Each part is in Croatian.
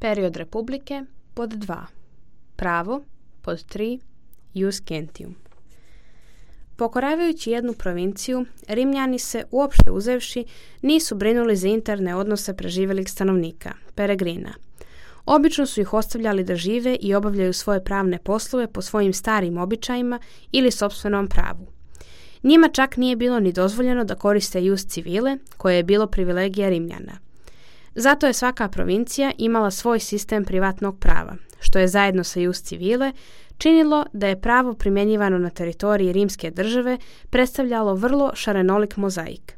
Period republike pod 2. Pravo pod 3. Ius gentium. Pokoravajući jednu provinciju, Rimljani se, uopšte uzevši, nisu brinuli za interne odnose preživjelih stanovnika, peregrina. Obično su ih ostavljali da žive i obavljaju svoje pravne poslove po svojim starim običajima ili sopstvenom pravu. Njima čak nije bilo ni dozvoljeno da koriste ius civile, koje je bilo privilegija Rimljana. Zato je svaka provincija imala svoj sistem privatnog prava, što je zajedno sa ius civile činilo da je pravo primjenjivano na teritoriji rimske države predstavljalo vrlo šarenolik mozaik.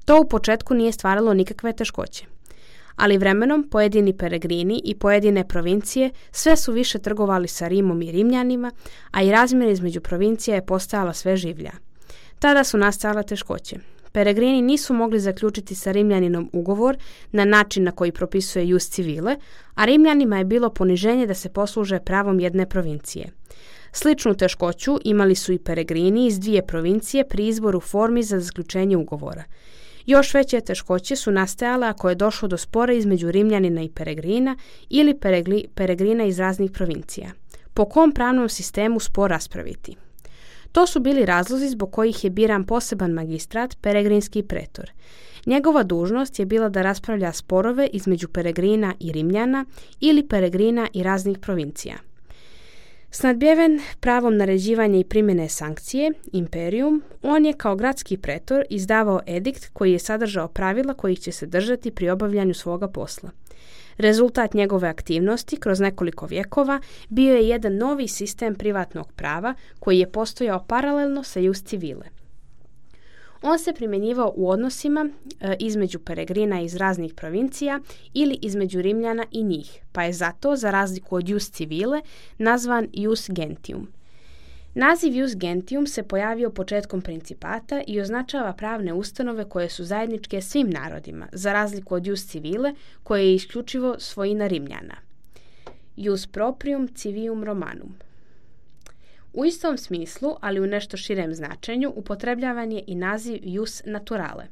To u početku nije stvaralo nikakve teškoće. Ali vremenom pojedini peregrini i pojedine provincije sve su više trgovali sa Rimom i Rimljanima, a i razmjena između provincija je postajala sve življa. Tada su nastajale teškoće. Peregrini nisu mogli zaključiti sa Rimljaninom ugovor na način na koji propisuje ius civile, a Rimljanima je bilo poniženje da se posluže pravom jedne provincije. Sličnu teškoću imali su i peregrini iz dvije provincije pri izboru formi za zaključenje ugovora. Još veće teškoće su nastajale ako je došlo do spora između Rimljanina i peregrina ili peregrina iz raznih provincija. Po kom pravnom sistemu spor raspraviti? To su bili razlozi zbog kojih je biran poseban magistrat, peregrinski pretor. Njegova dužnost je bila da raspravlja sporove između peregrina i Rimljana ili peregrina i raznih provincija. Snadbjeven pravom naređivanja i primjene sankcije, imperium, on je kao gradski pretor izdavao edikt koji je sadržao pravila kojih će se držati pri obavljanju svoga posla. Rezultat njegove aktivnosti kroz nekoliko vjekova bio je jedan novi sistem privatnog prava koji je postojao paralelno sa ius civile. On se primjenjivao u odnosima između peregrina iz raznih provincija ili između Rimljana i njih, pa je zato, za razliku od ius civile, nazvan ius gentium. Naziv ius gentium se pojavio početkom principata i označava pravne ustanove koje su zajedničke svim narodima, za razliku od ius civile, koje je isključivo svojina Rimljana. Ius proprium civium Romanum. U istom smislu, ali u nešto širem značenju, upotrebljavan je i naziv ius naturale.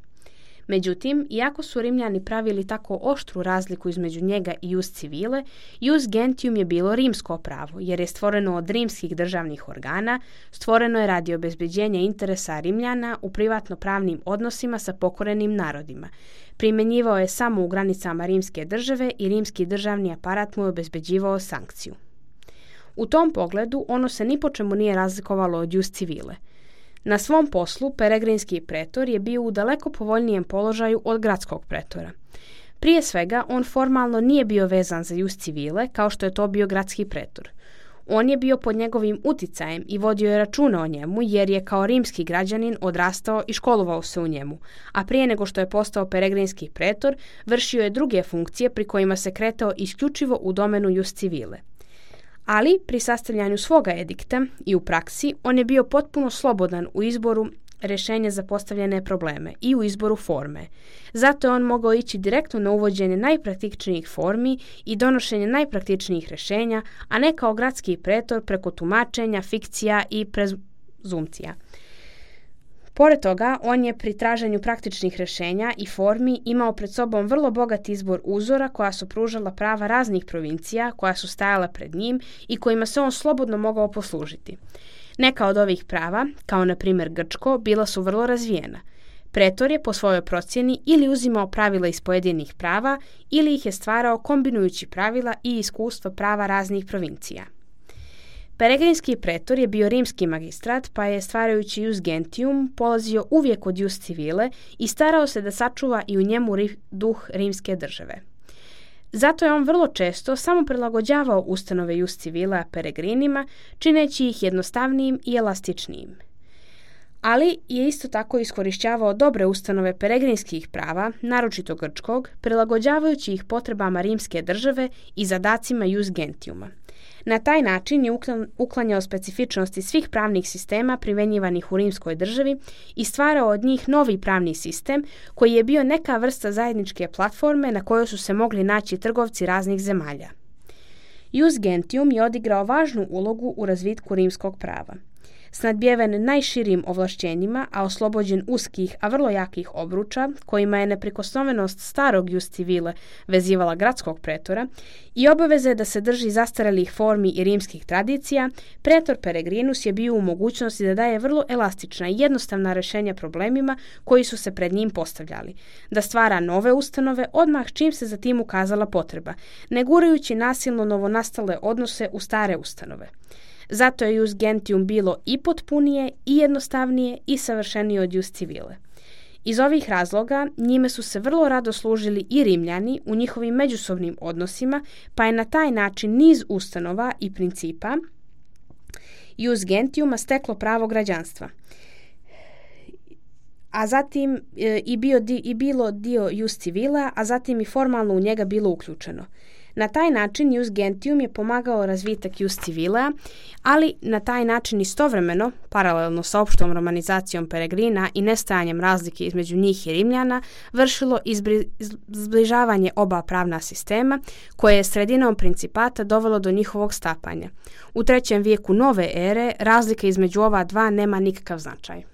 Međutim, iako su Rimljani pravili tako oštru razliku između njega i ius civile, ius gentium je bilo rimsko pravo, jer je stvoreno od rimskih državnih organa, stvoreno je radi obezbeđenja interesa Rimljana u privatno-pravnim odnosima sa pokorenim narodima. Primjenjivao je samo u granicama rimske države i rimski državni aparat mu je obezbeđivao sankciju. U tom pogledu ono se ni po čemu nije razlikovalo od ius civile. Na svom poslu peregrinski pretor je bio u daleko povoljnijem položaju od gradskog pretora. Prije svega, on formalno nije bio vezan za ius civile kao što je to bio gradski pretor. On je bio pod njegovim uticajem i vodio je računa o njemu jer je kao rimski građanin odrastao i školovao se u njemu, a prije nego što je postao peregrinski pretor, vršio je druge funkcije pri kojima se kretao isključivo u domenu ius civile. Ali pri sastavljanju svoga edikta i u praksi on je bio potpuno slobodan u izboru rješenja za postavljene probleme i u izboru forme. Zato je on mogao ići direktno na uvođenje najpraktičnijih formi i donošenje najpraktičnijih rješenja, a ne kao gradski pretor preko tumačenja, fikcija i prezumcija. Pored toga, on je pri traženju praktičnih rješenja i formi imao pred sobom vrlo bogat izbor uzora koja su pružala prava raznih provincija koja su stajala pred njim i kojima se on slobodno mogao poslužiti. Neka od ovih prava, kao na primjer grčko, bila su vrlo razvijena. Pretor je po svojoj procjeni ili uzimao pravila iz pojedinih prava ili ih je stvarao kombinujući pravila i iskustva prava raznih provincija. Peregrinski pretor je bio rimski magistrat, pa je, stvarajući ius gentium, polazio uvijek od ius civile i starao se da sačuva i u njemu duh rimske države. Zato je on vrlo često samo prilagođavao ustanove ius civila peregrinima, čineći ih jednostavnijim i elastičnijim. Ali je isto tako iskorišćavao dobre ustanove peregrinskih prava, naročito grčkog, prilagođavajući ih potrebama rimske države i zadacima ius gentiuma. Na taj način je uklanjao specifičnosti svih pravnih sistema primjenjivanih u rimskoj državi i stvarao od njih novi pravni sistem koji je bio neka vrsta zajedničke platforme na kojoj su se mogli naći trgovci raznih zemalja. Ius gentium je odigrao važnu ulogu u razvitku rimskog prava. s nadbjeven najširim ovlašćenjima, a oslobođen uskih, a vrlo jakih obruča, kojima je neprikosnovenost starog jus civile vezivala gradskog pretora, i obaveze da se drži zastarelih formi i rimskih tradicija, pretor Peregrinus je bio u mogućnosti da daje vrlo elastična i jednostavna rješenja problemima koji su se pred njim postavljali, da stvara nove ustanove odmah čim se za tim ukazala potreba, ne gurajući nasilno novonastale odnose u stare ustanove. Zato je jus gentium bilo i potpunije, i jednostavnije, i savršenije od jus civile. Iz ovih razloga njime su se vrlo rado služili i Rimljani u njihovim međusobnim odnosima, pa je na taj način niz ustanova i principa jus gentiuma steklo pravo građanstva, a zatim bilo dio jus civila, a zatim i formalno u njega bilo uključeno. Na taj način jus gentium je pomagao razvitak jus civilea, ali na taj način istovremeno, paralelno sa opštom romanizacijom Peregrina i nestajanjem razlike između njih i Rimljana, vršilo zbližavanje oba pravna sistema, koje je sredinom principata dovelo do njihovog stapanja. U 3. vijeku nove ere razlika između ova dva nema nikakav značaj.